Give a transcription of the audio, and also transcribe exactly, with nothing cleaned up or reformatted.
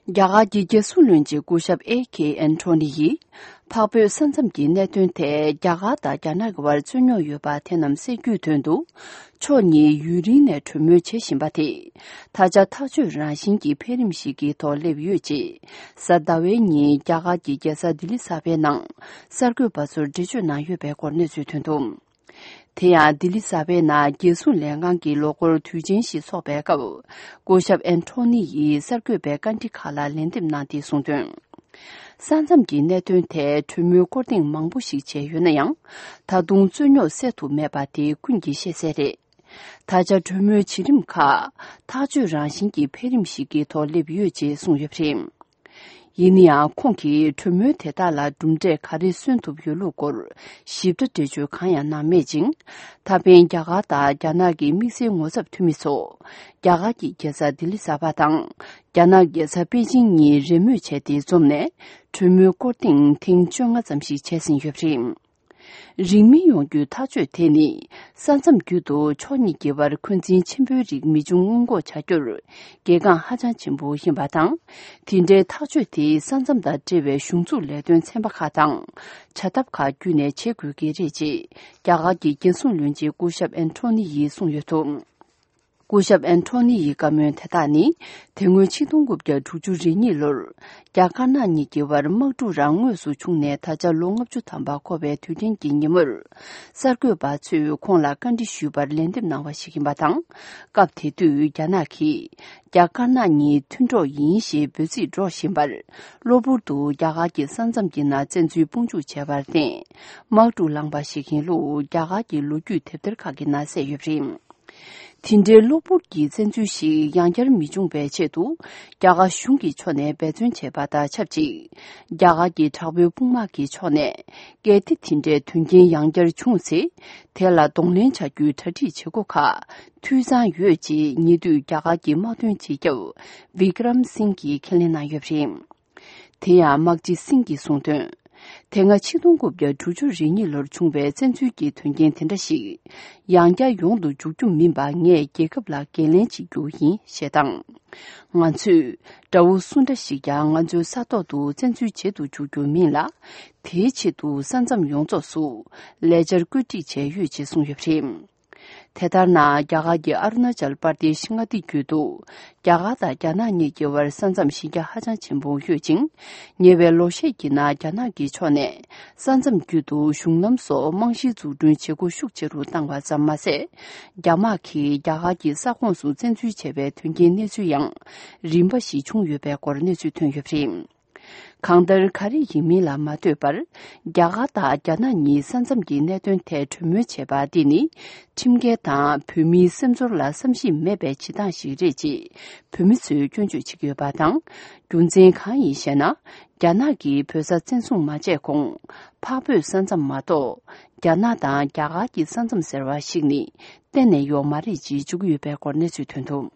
རྒྱ་གར་གྱི་རྒྱལ་སྲུང་བློན་ཆེན་སྐུ་ཞབས་ཨེ་ཁེ་ཨན་ཐོ་ནི་ཡིས། འཕགས་བོད་ས་མཚམས་ཀྱི་གནད་དོན་ཐད་རྒྱ་གར་དང་རྒྱ་ནག་གི་བར་རྩོད་རྙོག་ཡོད་པ་དེ་རྣམས་སེལ་རྒྱུའི་དོན་དུ། ཕྱོགས་གཉིས་ཡུན་རིང་ནས་གྲོས་མོལ་བྱེད་བཞིན་པ་དེ། ད་ཆ་ཐག་གཅོད་རང་བཞིན་གྱི་འཕེལ་རིམ་ཞིག་གི་ཐོག་སླེབས་ཡོད་ཅེས། གཟའ་ཟླ་བའི་ཉིན་རྒྱ་གར་གྱི་རྒྱལ་ས་ལྡི་ལི་གསར་པའི་ནང་། གསར་འགོད་པ་ཚོར་འགྲེལ་བརྗོད་གནང་ཡོད་པའི་སྐོར་གནས་ཚུལ་ཐོན་འདུག་དེ་ཡང་ལྡི་ལི་གསར་པའི་ནང་རྒྱལ་སྲུང་ལས་ཁང་གི་ལོ་འཁོར་དུས་ཆེན་ཞིག་འཚོགས་པའི་སྐབས། སྐུ་ཞབས་ཨན་ཐོ་ནི་ཡིས་གསར་འགོད་པའི་བཀའ་འདྲི་ཁག་ལ་ལན་འདེབས་གནང་སྟེ་གསུངས་དོན། ས་མཚམས་ཀྱི་གནད་དོན་ཐད་གྲོས་མོལ་སྐོར་ཐེངས་མང་པོ་ཞིག་བྱས་ཡོད་ན་ཡང་། ད་དུང་རྩོད་རྙོག་སེལ་ཐུབ་མེད་པ་དེ་ཀུན་གྱིས་ཤེས་གསལ་རེད། ད་ཆ་གྲོས་མོལ་བྱེད་རིམ་ཁག་ཐག་གཅོད་རང་བཞིན་གྱི་འཕེལ་རིམ་ཞིག་གི་ཐོག་སླེབས་ཡོད་ཅེས་གསུངས་ཡོད་པ་རེད། ཡིན་ན་ཡང་ཁོང་གིས་གྲོས་མོལ་དེ་དག་ལ་གྲུབ་འབྲས་ག་རེ་སོན་ཐུབ་ཡོད་ལུགས་སྐོར་ཞིབ་ཕྲ་འགྲེལ་བརྗོད་གང་ཡང་གནང་མེད་ཅིང་། ད་ཕན་རྒྱ་གར་དང་རྒྱ་ནག་གི་དམིགས་བསལ་ངོ་ཚབ་འཐུས་མི་ཚོ། རྒྱ་གར་གྱི་རྒྱལ་ས་ལྡི་ལི་གསར་པ་དང་། རྒྱ་ནག་རྒྱལ་ས་པེ་ཅིང་གཉིས་རེས་མོས་བྱས་ཏེ་འཛོམས་ནས། གྲོས་མོལ་སྐོར་ཐེངས་ཐེངས་བཅོ་ལྔ་ཙམ་ཞིག་བྱས་ཟིན་ཡོད་པ་རེད། རིང་མིན་ཡོང་རྒྱུའི་ཐག་གཅོད་དེ་ནི། ས་མཚམས་བརྒྱུད་དུ་ཕྱོགས་གཉིས་ཀྱི་བར་འཁོན་འཛིན་ཆེན་པོའི་རིགས་མི་འབྱུང་སྔོན་འགོག་བྱ་རྒྱུར་གལ་འགངས་ཧ་ཅང་ཆེན་པོ་ཡིན་པ་དང་། དེ་འདྲའི་ཐག་གཅོད་དེ་ས་མཚམས་དང་འབྲེལ་བའི་གཞུང་འཛུགས་ལས་དོན་ཚན་པ་ཁག་དང་། བྱ་ཐབས་ཁག་བརྒྱུད་ནས་བྱེད་དགོས་ཀྱི་རེད་ཅེས་རྒྱ་གར་གྱི་རྒྱལ་སྲུང་བློན་ཆེན་སྐུ་ཞབས་ཨན་ཐོ་ནི་ཡིས་གསུངས་ཡོད་འདུག་སྐུ་ཞབས་ཨན་ཐོ་ནི་ཡི་བཀའ་མོལ་དེ་དག་ནི། དེ་སྔོན་ཆིག་སྟོང་དགུ་བརྒྱ་དྲུག་ཅུ་རེ་གཉིས་ལོར། རྒྱ་དཀར་ནག་གཉིས་ཀྱི་བར་དམག་འཁྲུག་རང་དངོས་སུ་བྱུང་ནས་ད་ཆ་ལོ་ལྔ་བཅུ་ཐམ་པ་འཁོར་བའི་དུས་དྲན་གྱི་ཉིན་མོར། གསར་འགོད་པ་ཚོས་ཁོང་ལ་བཀའ་འདྲི་ཞུས་པར་ལན་འདེབས་གནང་བ་ཞིག་ཡིན་པ་དང་། སྐབས་དེ་དུས་རྒྱ་ནག་གིས། རྒྱ་དཀར་ནག་གཉིས་མཐུན་གྲོགས་ཡིན་ཞེས་འབོད་ཚིག་སྒྲོག་བཞིན་པར། གློ་བུར་དུ་རྒྱ་གར་གྱི་ས་མཚམས་ཀྱི་ནང་བཙན་འཛུལ་དཔུང་འཇུག་བྱས་པར་བརྟེན། དམག་འཁྲུག་ལངས་པ་ཞིག་ཡིན་ལུགས་རྒྱ་གར་གྱི་ལོ་རྒྱུས་དེབ་ཐེར་ཁག་གི་ནང་གསལ་ཡོད་པ་རེད། དེ་འདྲའི་གློ་བུར་གྱི་བཙན་འཛུལ་ཞིག་ཡང་བསྐྱར་མི་འབྱུང་བའི་ཆེད་དུ། རྒྱ་གར་གཞུང་གི་ཕྱོགས་ནས་འབད་བརྩོན་བྱས་པ་དང་ཆབས་ཅིག་རྒྱ་གར་གྱི་དྲག་པོའི་དཔུང་དམག་གི་ཕྱོགས་ནས། གལ་ཏེ་དེ་འདྲའི་དོན་རྐྱེན་ཡང་བསྐྱར་བྱུང་ཚེ། དེ་ལ་གདོང་ལེན་བྱ་རྒྱུའི་གྲ་སྒྲིག་བྱེད་སྒོ་ཁག་འཐུས་ཚང་ཡོད་ཅེས་ཉེ་དུས་རྒྱ་གར་གྱི་དམག་དོན་སྤྱི་ཁྱབ་བི་ཀྲམ་སིང་གིས་ཁས་ལེན་གནང་ཡོད་པ་རེད། དེ་ཡང་དམག་སྤྱི་སིང་གིས་གསུངས་དོན། དེ་སྔ་ཆིག་སྟོང་དགུ་བརྒྱ་དྲུག་ཅུ་རེ་གཉིས་ལོར་བྱུང་བའི་བཙན་འཛུལ་གྱི་དོན་རྐྱེན་དེ་འདྲ་ཞིག་ཡང་བསྐྱར་ཡོང་དུ་འཇུག་རྒྱུ་མིན་པ་ངས་རྒྱལ་ཁབ་ལ་འགན་ལེན་བྱེད་རྒྱུ་ཡིན་ཞེས་དང་། ང་ཚོས་དགྲ་བོ་སུ་འདྲ་ཞིག་ཀྱང་ང་ཚོའི་ས་ཐོག་ཏུ་བཙན་འཛུལ་བྱེད་དུ་འཇུག་རྒྱུ་མིན་ལ། དེའི་ཆེད་དུ་ས་མཚམས་ཡོངས་རྫོགས་སུ་ལས་འཆར་བཀོད་སྒྲིག་བྱས་ཡོད་ཅེས་གསུངས་ཡོད་པ་རེད། དེ་ལྟར་ན། རྒྱ་གར་གྱི་ཨ་རུ་ན་ཅལ་པར་དེ་ཤི་མངའ་སྡེ་བརྒྱུད་དུ། རྒྱ་གར་དང་རྒྱ་ནག་གཉིས་ཀྱི་བར་ས་མཚམས་གཞི་རྒྱ་ཧ་ཅང་ཆེན་པོ་ཡོད་ཅིང་། ཉེ་བའི་ལོ་ཤས་ཀྱི་ནང་རྒྱ་ནག་གི་ཕྱོགས་ནས། ས་མཚམས་བརྒྱུད་དུ་གཞུང་ལམ་སོགས་རྨང་གཞི་འཛུགས་སྐྲུན་བྱེད་སྒོ་ཤུགས་ཆེ་རུ་བཏང་བ་ཙམ་མ་ཟད། རྒྱ་དམག་གིས་རྒྱ་གར་གྱི་ས་ཁོངས་སུ་བཙན་འཛུལ་བྱས་པའི་དོན་རྐྱེན་གནས་ཚུལ་ཡང་རིམ་པ་ཞིག་བྱུང་ཡོད་པའི་སྐོར་གནས་ཚུལ་ཐོན་ཡོད་པ་རེད། གང་ལྟར། ག་རེ་ཡིན་མིན་ལ་མ་ལྟོས་པར། རྒྱ་གར་དང་རྒྱ་ནག་གཉིས་ས་མཚམས་ཀྱི་གནད་དོན་ཐད་གྲོས་མོལ་བྱས་པ་འདི་ནི། ཁྲིམས་འགལ་དང་བོད་མིའི་སེམས་ཚོར་ལ་བསམ་ཤེས་མེད་པའི་བྱེད་སྟངས་ཤིག་རེད་ཅེས་བོད་མི་ཚོས་སྐྱོན་བརྗོད་བྱེད་ཀྱི་ཡོད་པ་དང་། རྒྱུ་མཚན་གང་ཡིན་ཞེ་ན། རྒྱ་ནག་གིས་བོད་ས་བཙན་བཟུང་མ་བྱས་གོང་། འཕགས་བོད་ས་མཚམས་མ་གཏོགས། རྒྱ་ནག་དང་རྒྱ་གར་གྱི་ས་མཚམས་ཟེར་བ་ཞིག་ནི་གཏན་ནས་ཡོད་མ་རེད་ཅེས་བརྗོད་ཀྱི་ཡོད་པའི་སྐོར་གནས་ཚུལ་ཐོན་འདུག